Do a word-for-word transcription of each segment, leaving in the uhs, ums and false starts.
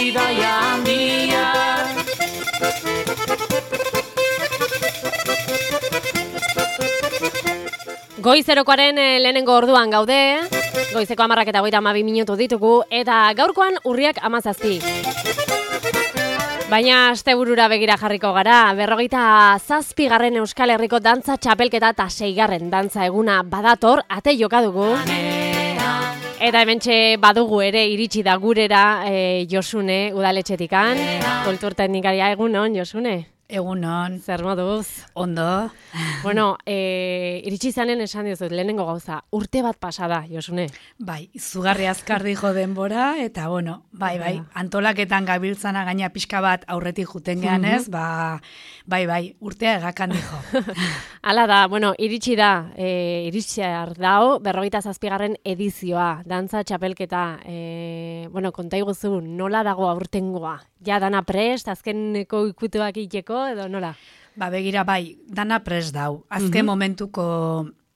bidaia handia. Goizerokoaren lehenengo orduan gaude, goizeko hamarrak eta hogeita hamabi minutu ditugu, eta gaurkoan urriak hamazazpi. Baina asteburura begira jarriko gara, berrogeita zazpigarren Euskal Herriko dantza txapelketa eta seigarren dantza eguna badator, ate joka dugu. Eta hementxe badugu ere iritsi da gurera e, Josune udaletxetikan, kulturteknikaria. Egunon, Josune? Egunon. Zer moduz? Ondo. Bueno, e, iritsi zanen esan dizut, lehenengo gauza, urte bat pasada, Josune. Bai, izugarri azkar dijo denbora, eta bueno, bai, bai, antolaketan gabiltzana gaina pixka bat aurretik juten gehan ez, ba, bai, bai, urtea egakan dijo. Hala da, bueno, iritsi da, e, iritsiar dao, berrogeita zazpigarren edizioa, dantza txapelketa, e, bueno, konta iguzu, nola dago aurtengoa? Ja, dana prest, azkeneko ikutuak iteko, edo nola? Ba, begira, bai, dana prest dau. Azken uh-huh. momentuko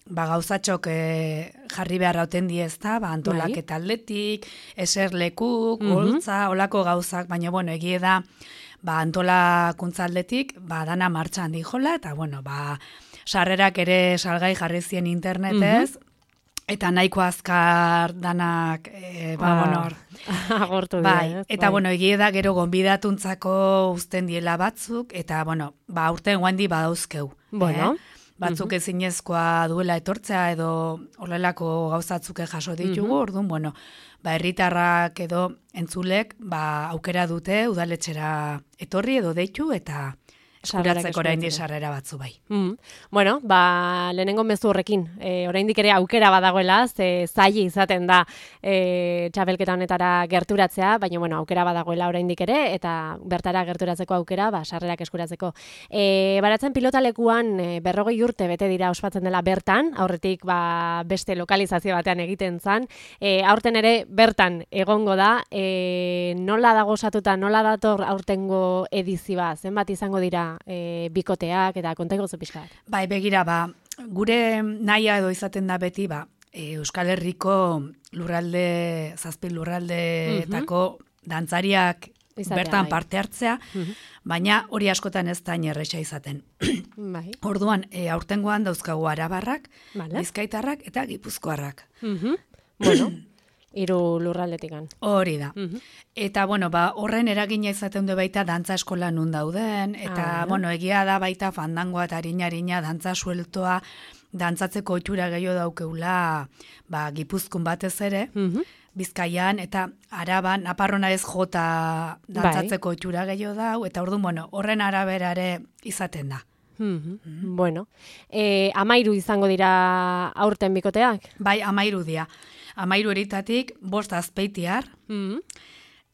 ba, gauzatxok e, jarri behar hauten diezta, ba, antolaketa aldetik, eserlekuk, uh-huh. holtza, olako gauzak, baina, bueno, egie da, ba, antolakuntza aldetik, ba, dana martxan dijola, eta, bueno, ba, sarrerak ere salgai jarri zien internetez, uh-huh. eta nahiko azkar danak, e, ba, ah, bueno, agortu bai, dira. Eta, bai. bueno, egie da gero gonbidatuntzako uzten diela batzuk, eta, bueno, ba, urten guandi badauzkeu. Bueno. Eh? Batzuk uh-huh. ezinezkoa duela etortzea edo horrelako gauzatzuke jaso ditugu, uh-huh. orduan, bueno, ba, herritarrak edo entzulek, ba, aukera dute udaletxera etorri edo deitu, eta eskuratzeko orain sarrera batzu bai. Mm. Bueno, ba, lehenengo mezu horrekin, e, oraindik ere aukera badagoela, ze zaila izaten da e, txapelketa honetara gerturatzea, baina bueno, aukera badagoela oraindik ere, eta bertara gerturatzeko aukera, ba, sarrerak eskuratzeko. E, baratzen pilotalekuan e, berrogei urte bete dira ospatzen dela bertan, aurretik ba, beste lokalizazio batean egiten zan, e, aurten ere bertan egongo da, e, nola dago osatuta, nola dator aurtengo edizioa, zenbat izango dira E, bikoteak eta kontaigo zu pixka bat. Bai, begira, ba, gure nahia edo izaten da beti, ba, e, Euskal Herriko lurralde, zazpi lurraldeetako uh-huh. dantzariak izatea, bertan bai. Parte hartzea, uh-huh. baina hori askotan ez da inerresa izaten. Bai. Orduan, e, aurtengoan dauzkagu arabarrak, vale. Bizkaitarrak eta gipuzkoarrak. Uh-huh. Bueno, hiru lurraldetikan. Hori da. Uh-huh. Eta, bueno, ba, horren eragina izaten du baita dantza eskola nun dauden, eta, ah, bueno, egia da baita fandangoa eta harina-harina dantza sueltoa, dantzatzeko ohitura gehiago daukeula, ba, Gipuzkoan batez ere, uh-huh. Bizkaian, eta Araban, Naparrona ez jota dantzatzeko ohitura gehiago dau, eta orduan, bueno, horren araberare izaten da. Uh-huh. Uh-huh. Bueno, e, amairu izango dira aurten bikoteak? Bai, amairu dia. Amairu eritatik, bost azpeitiar, mm-hmm.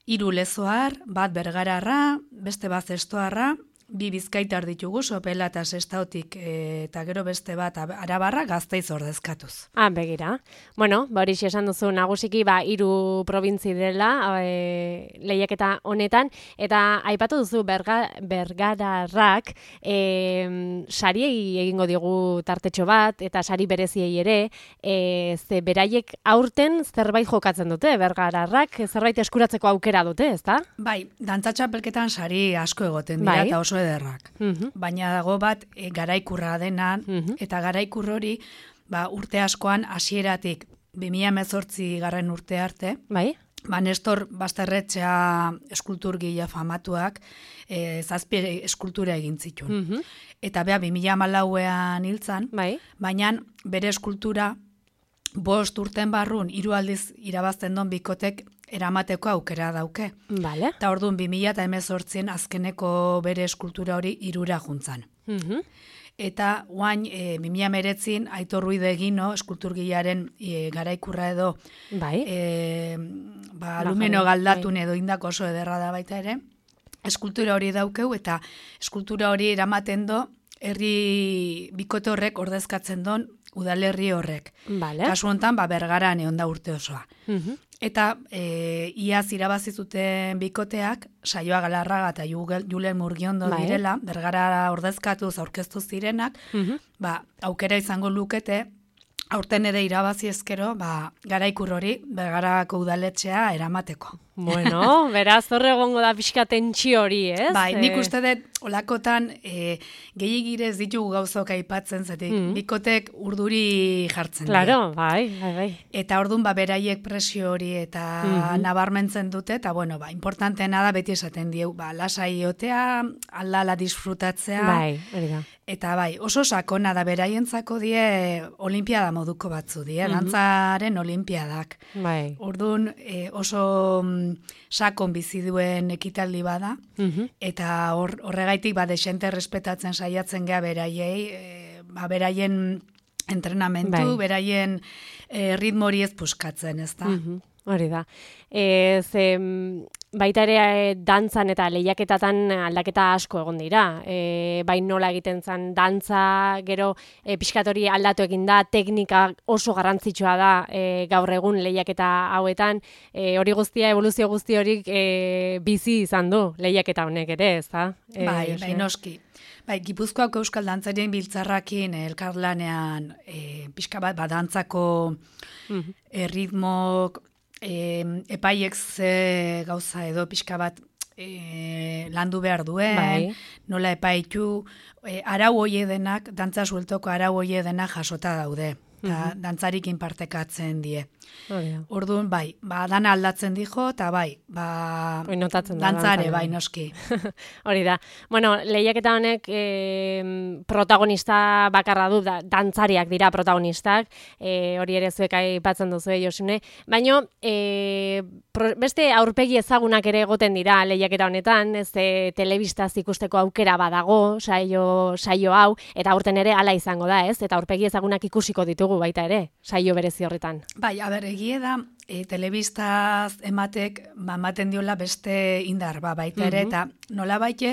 hiru lezoar, bat bergararra, beste bat zestoarra, bi bizkaitar ditugu, Sopela eta Sestaotik e, eta gero beste bat Arabarra Gazteiz ordezkatuz. Ah, begira. Bueno, ba hori esan duzu nagusiki ba hiru probintzi dela e, lehiaketa honetan, eta aipatu duzu berga, bergararrak e, sariei egingo digu tartetxo bat, eta sari bereziei ere, e, ze beraiek aurten zerbait jokatzen dute, bergararrak zerbait eskuratzeko aukera dute, ezta? Bai, dantza txapelketan sari asko egoten dira, bai. Eta oso ederrak. Uh-huh. Baina dago bat e, garaikurra denan, uh-huh. eta garaikur hori ba, urte askoan hasieratik bi mila hemezortzi garren urte arte, bai. Ba, Nestor Basterretxea eskulturgile famatuak e, zazpi eskultura egin zituen. Uh-huh. Eta beha bi mila hamalauean hiltzan, bai. Baina bere eskultura bost urten barrun hiru aldiz irabazten don bikotek eramateko aukera dauke. Vale. Eta orduan bi mila hemezortzien azkeneko bere eskultura hori hirura juntzan. Uh-huh. Eta guain e, bi mila hemeretzin Aitor Ruide Egino eskulturgilearen e, garaikurra edo bai. E, ba, alumeno galdatun edo indako oso ederra da baita ere. Eskultura hori daukeu eta eskultura hori eramaten do herri bikote horrek ordezkatzen don udalerri horrek. Vale. Kasu honetan, ba, Bergaran egon da urte osoa. Uh-huh. Eta e, iaz irabazi zuten bikoteak, Saioa Galarraga eta Julen Murgiondo bai. Direla, Bergara ordezkatuz aurkeztu zirenak, uh-huh. ba, aukera izango lukete, aurten ere irabazi ezkero, ba, garaikur hori Bergarako udaletxea eramateko. Bueno, beraz horre egongo da pixka tentsio hori, ez? Bai, nik uste dut, olakotan, e, gehiagire ez ditugu gauzok aipatzen, zetik, mm. bikotek urduri jartzen claro, bai, bai, bai. Eta orduan, ba, beraiek presio hori eta mm-hmm. nabarmentzen dute, eta bueno, ba, importanteena da beti esaten dieu, ba, lasai otea, aldala disfrutatzea. Bai, hori da. Eta bai, oso sakona da beraientzako die olimpiada moduko batzu die, mm-hmm. dantzaren olimpiadak. Bai. Orduan, e, oso sakon bizi duen ekitaldi bada, mm-hmm. eta hor, horregaitik ba, desente respetatzen saiatzen gea beraiei, e, ba, beraien entrenamentu, bai. Beraien e, ritmo hori ez puskatzen, ez da? Mm-hmm. Hori da. E, ze, baita ere dantzan eta lehiaketatan aldaketa asko egon dira. E, bai nola egiten zen dantza, gero e, pixkatori aldatu egin da, teknika oso garrantzitsua da e, gaur egun lehiaketa hauetan. E, hori guztia, evoluzio guzti horik e, bizi izan du lehiaketa honek ere, ez da? E, bai, bai noski. Bai, Gipuzkoako Euskal Dantzarien biltzarrakin elkarlanean e, pixka bat badantzako mm-hmm. e, ritmok, E, epaiek ze gauza edo pixka bat e, landu behar duen, bai. Nola epaitu, e, arau hoie denak, dantza sueltoko arau hoie denak jasota daude, eta mm-hmm. dantzarikin partekatzen die. Orduan, bai, ba, dana aldatzen dijo, eta bai, ba, dantzare, dantzare, bai, noski. Hori da. Bueno, lehiaketa honek e, protagonista bakarra du, da, dantzariak dira protagonistak, e, hori ere zuek aipatzen duzu, Josune, baina e, pro, beste aurpegi ezagunak ere egoten dira lehiaketa honetan, ez e, telebistaz ikusteko aukera badago, saio, saio hau, eta aurten ere hala izango da, ez? Eta aurpegi ezagunak ikusiko ditugu baita ere, saio berezi horretan. Bai, a ber, egie da, e, telebistaz ematek, ba, ematen diola beste indar, ba, baita ere, mm-hmm. eta nola baite,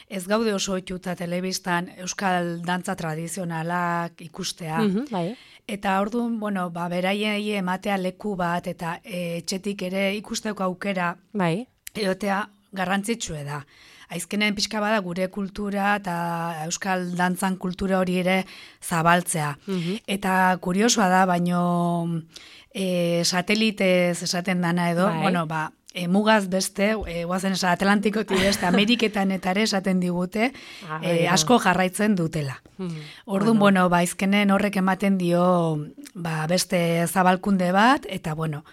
ez gaude oso itxuta telebistan euskal dantza tradizionalak ikustea. Mm-hmm, bai. Eta orduan, bueno, ba, beraiei ematea leku bat, eta e, etxetik ere ikusteko aukera, bai. Eotea garrantzitsue da. Aizkenen pixka bada gure kultura eta euskal dantzan kultura hori ere zabaltzea. Mm-hmm. Eta kuriosoa da, baino e, satelitez esaten dana edo, bai. Bueno, ba, e, mugaz beste, e, guazen esan Atlantikotik beste, Ameriketan eta ere esaten digute, ah, e, asko jarraitzen dutela. Mm-hmm. Orduan, bueno, ba, aizkenen horrek ematen dio ba, beste zabalkunde bat, eta bueno,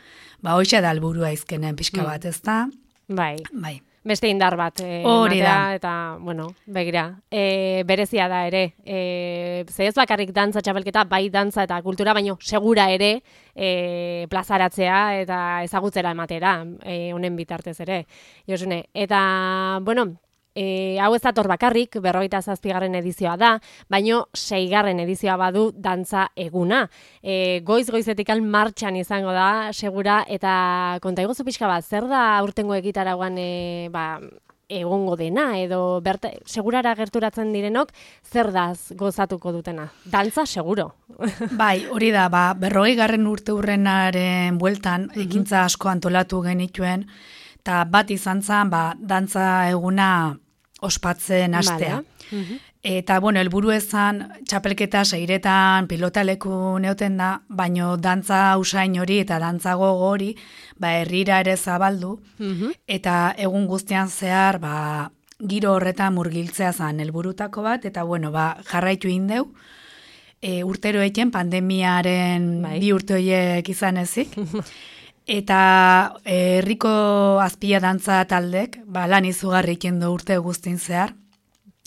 ba, hoxe da helburua aizkenen pixka bat, ez da? Bai. Bai. Beste indar bat, e, hori da. Eta, bueno, begira, e, berezia da ere, e, ze ez bakarrik dantza txapelketa, bai dantza eta kultura, baino segura ere e, plazaratzea eta ezagutzera ematera, e, honen bitartez ere, Josune. Eta, bueno, E, hau ez dator bakarrik, berrogeita zazpigarren edizioa da, baino seigarren edizioa badu dantza eguna. E, goiz-goizetikan martxan izango da, segura, eta konta iguzu pixka bat, zer da aurtengo egitaragoan e, ba, egongo dena, edo berta, segurara gerturatzen direnok, zer daz gozatuko dutena? Dantza, seguro. Bai, hori da, ba, berrogei garren urte hurrenaren bueltan, mm-hmm. ekintza asko antolatu genituen, eta bat izan zen, ba, dantza eguna ospatzen astea. Uh-huh. Eta, bueno, helburu ezan, txapelketa seiretan pilotaleku neoten da, baino dantza usain hori eta dantza gogo hori, ba, herrira ere zabaldu, uh-huh. eta egun guztian zehar, ba, giro horretan murgiltzea zen helburutako bat, eta, bueno, ba, jarraitu indeu, e, urtero eken pandemiaren bai. Bi urte horiek izan ezik, eta herriko azpila dantza taldek, ba, lan izugarri ikendu urte guztin zehar,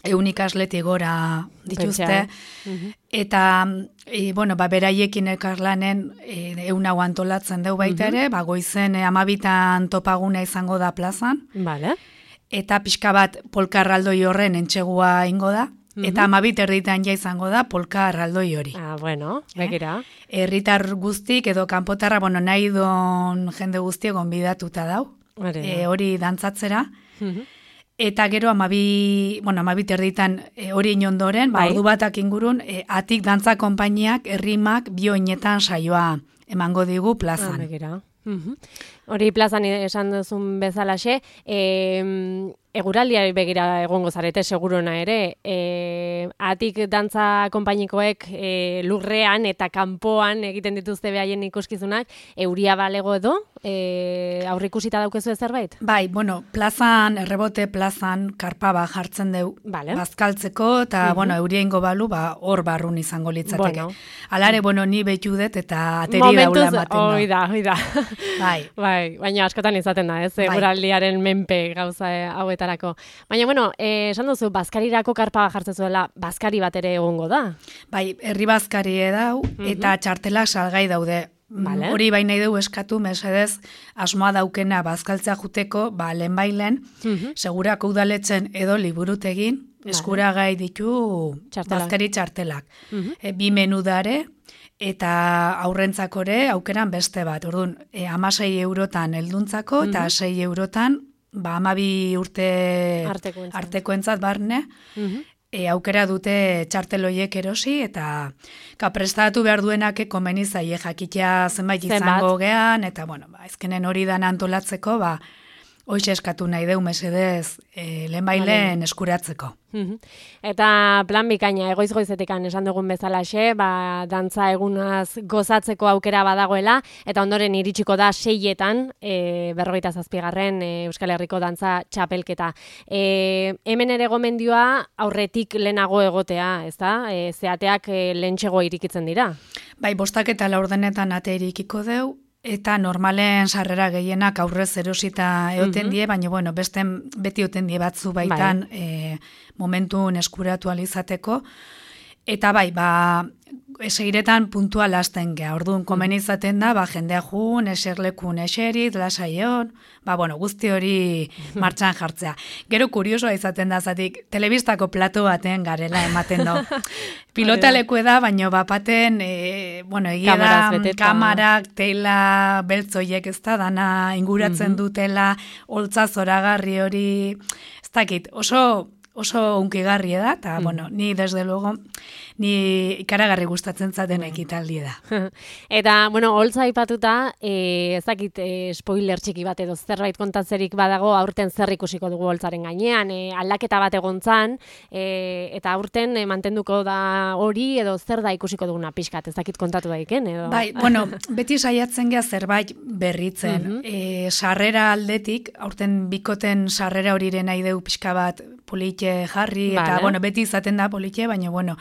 eun ikasletik gora dituzte, uh-huh. eta e, bueno, ba, beraiekin elkarlanen e, eun hau antolatzen deu baita ere, uh-huh. ba, goizen e, amabitan topaguna izango da plazan, vale. Eta pixka bat polka erraldoi horren entxegua ingo da, uh-huh. eta amabit erditan ja izango da polka erraldoi hori. Ah, bueno, begira. Eh? Herritar guztik edo kanpotarra, bueno, nahi don jende guztiek gonbidatuta dau, e, hori dantzatzera, uh-huh. eta gero amabi, bueno, amabit erditan e, hori inondoren, ba, ordu batak ingurun, e, atik dantza konpainiak, errimak, bioinetan saioa emango digu plazan. Ah, begira. Uh-huh. Hori plazan esan duzun bezalaxe, e, eguraldiari begira egongo zarete seguruna ere, e, atik dantza konpainikoek e, lurrean eta kanpoan egiten dituzte behaien ikuskizunak, euria balego edo, e, aurrikusita daukezu zerbait? Bai, bueno, plazan, errebote plazan, karpa ba jartzen deu vale. bazkaltzeko, eta, uh-huh. bueno, euria ingo balu, ba, hor barrun izango litzateke. Bueno. Alare, bueno, ni behitu dut eta ateri daula ematen da. Hoi da, hoi da. Bai. Bai, baina askotan izaten da, ez, eguraldiaren menpe gauza hauetarako. Baina, bueno, eh, esan duzu, bazkarirako karpa jartzen zuela, bazkari bat ere egongo da? Bai, herri bazkari edau, uh-huh. eta txartelak salgai daude. Vale. Hori baina ideu eskatu, mesedez, asmoa daukena bazkaltzea juteko, ba, lehen bailen, uh-huh. segurako udaletzen edo liburutegin, vale. eskuragai ditu Txartelak. bazkari txartelak. Uh-huh. E, bi menu dare, eta aurrentzakore aukeran beste bat. Orduan, e, amasei eurotan helduntzako, uh-huh. eta sei eurotan, ba, amabi urte artekoentzat, artekoentzat barne, uh-huh. e, aukera dute txarteloiek erosi, eta ka, prestatu behar duenak komeni zaie jakitea zenbait izango gean, eta, bueno, ba, ezkenen hori dan antolatzeko, ba, hoxe eskatu nahi deu mesedez e, lehen bailen eskuratzeko. Eta plan bikaina, egoiz-goizetikan esan dugun bezalaxe, ba, dantza egunaz gozatzeko aukera badagoela, eta ondoren iritsiko da seietan, e, berrogeita zazpigarren e, Euskal Herriko dantza txapelketa. E, hemen ere gomendioa aurretik lehenago egotea, ezta? E, zeateak e, lehentxego irikitzen dira. Bai, bostak eta laurdenetan ate irikiko deu, eta normalen sarrera gehienak aurrez erosita eoten die, baina bueno, beste beti eoten die batzu baitan bai. e, momentun eskuratu alizateko. Eta bai, ba, esegiretan puntual hasten geha. Orduan, komen izaten da, ba, jendea jun, eserlekun eserit, lasaion, ba, bueno, guzti hori martxan jartzea. Gero kuriosoa izaten da, zatik, telebistako plato baten garela ematen da. Pilotaleku da, baina bapaten, e, bueno, egia da, kamarak, teila, beltzoiek ez da, dana inguratzen uh-huh. dutela, holtza zoragarri hori, ez dakit, oso... oso unkigarri da, eta, mm. bueno, ni desde luego, ni ikaragarri gustatzen zaten ekitaldi da. Eta, bueno, holtza aipatuta, e, ez dakit e, spoiler txiki bat edo zerbait kontatzerik badago, aurten zer ikusiko dugu holtzaren gainean, e, aldaketa bat egontzan, e, eta aurten e, mantenduko da hori, edo zer da ikusiko duguna pixkat, ez dakit kontatu daiken, edo? Bai, bueno, beti saiatzen geha zerbait berritzen. Uh-huh. e, sarrera aldetik, aurten bikoten sarrera horiren nahi deu pixka bat politxe jarri, vale. Eta, bueno, beti izaten da politxe, baina, bueno,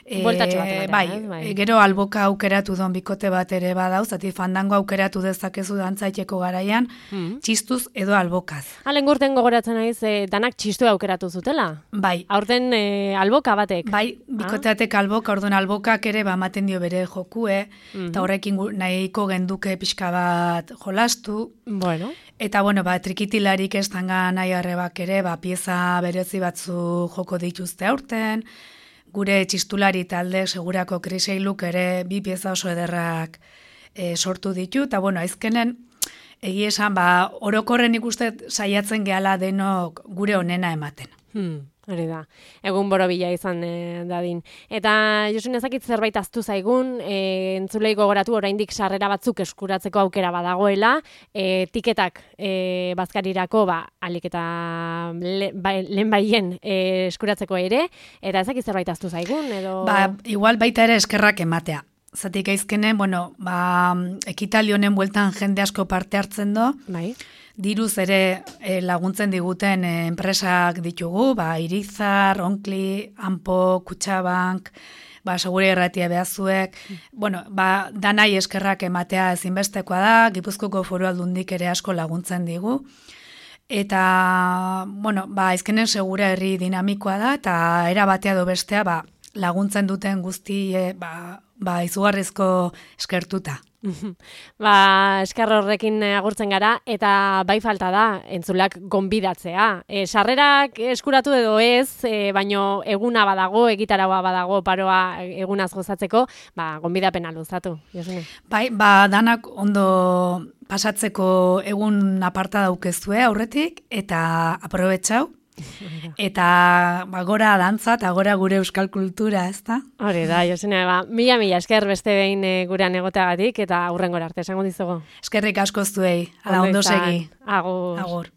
e, batean, bai, bai. Gero alboka aukeratu don bikote bat ere badau, zati fandango aukeratu dezakezu dantzaiteko garaian, mm. txistuz edo albokaz. Halen gurten gogoratzen naiz, e, danak txistu aukeratu zutela? Bai. Aurten e, alboka batek? Bai, bikoteatek ah? alboka, orduan albokak ere ba maten dio bere jokue, mm-hmm. eta horrekin nahiko genduke pixka bat jolastu. Bueno. Eta, bueno, ba, trikitilarik ez tanga nahi arrebak ere, ba, pieza berezi batzu joko dituzte aurten, gure txistulari talde segurako kriseiluk ere bi pieza oso ederrak e, sortu ditu, eta, bueno, aizkenen, egi esan, ba, orokorren ikusten saiatzen gehala denok gure onena ematen. Hmm. Hori da, egun borobila izan e, dadin. Eta Josun ezakit zerbait aztu zaigun, e, entzulei gogoratu oraindik sarrera batzuk eskuratzeko aukera badagoela, e, tiketak e, bazkarirako, ba, alik eta le, ba, lehen baien e, eskuratzeko ere, eta ezakit zerbait aztu zaigun, edo... Ba, igual baita ere eskerrak ematea. Zatik aizkenen, bueno, ba, ekitaldi honen bueltan jende asko parte hartzen do, bai. Diruz ere e, laguntzen diguten e, enpresak ditugu, ba, Irizar, Onkli, Ampo, Kutxabank, ba, segure erratia behazuek, mm. bueno, ba, danai eskerrak ematea ezinbestekoa da, Gipuzkoko Foru Aldundik ere asko laguntzen digu, eta, bueno, ba, ezkenen segura herri dinamikoa da, eta era batea do bestea, ba, laguntzen duten guzti, e, ba, ba, izugarrizko eskertuta. Ba, eskar horrekin agurtzen gara, eta bai falta da, entzulak gonbidatzea. E, sarrerak eskuratu edo ez, e, baino eguna badago, egitaragoa badago, paroa egunaz gozatzeko, ba, gonbidapena luzatu. Josune. Bai, ba, danak ondo pasatzeko egun aparta daukezue aurretik, eta aprobetxau, Eta ba, gora dantza eta gora gure euskal kultura, ez da? Hori da, Josune, ba, mila mila esker beste behin e, gurean egoteagatik eta hurrengora arte, esango dizugu. Eskerrik asko zuei, ala ondo segi. Agur. Agur.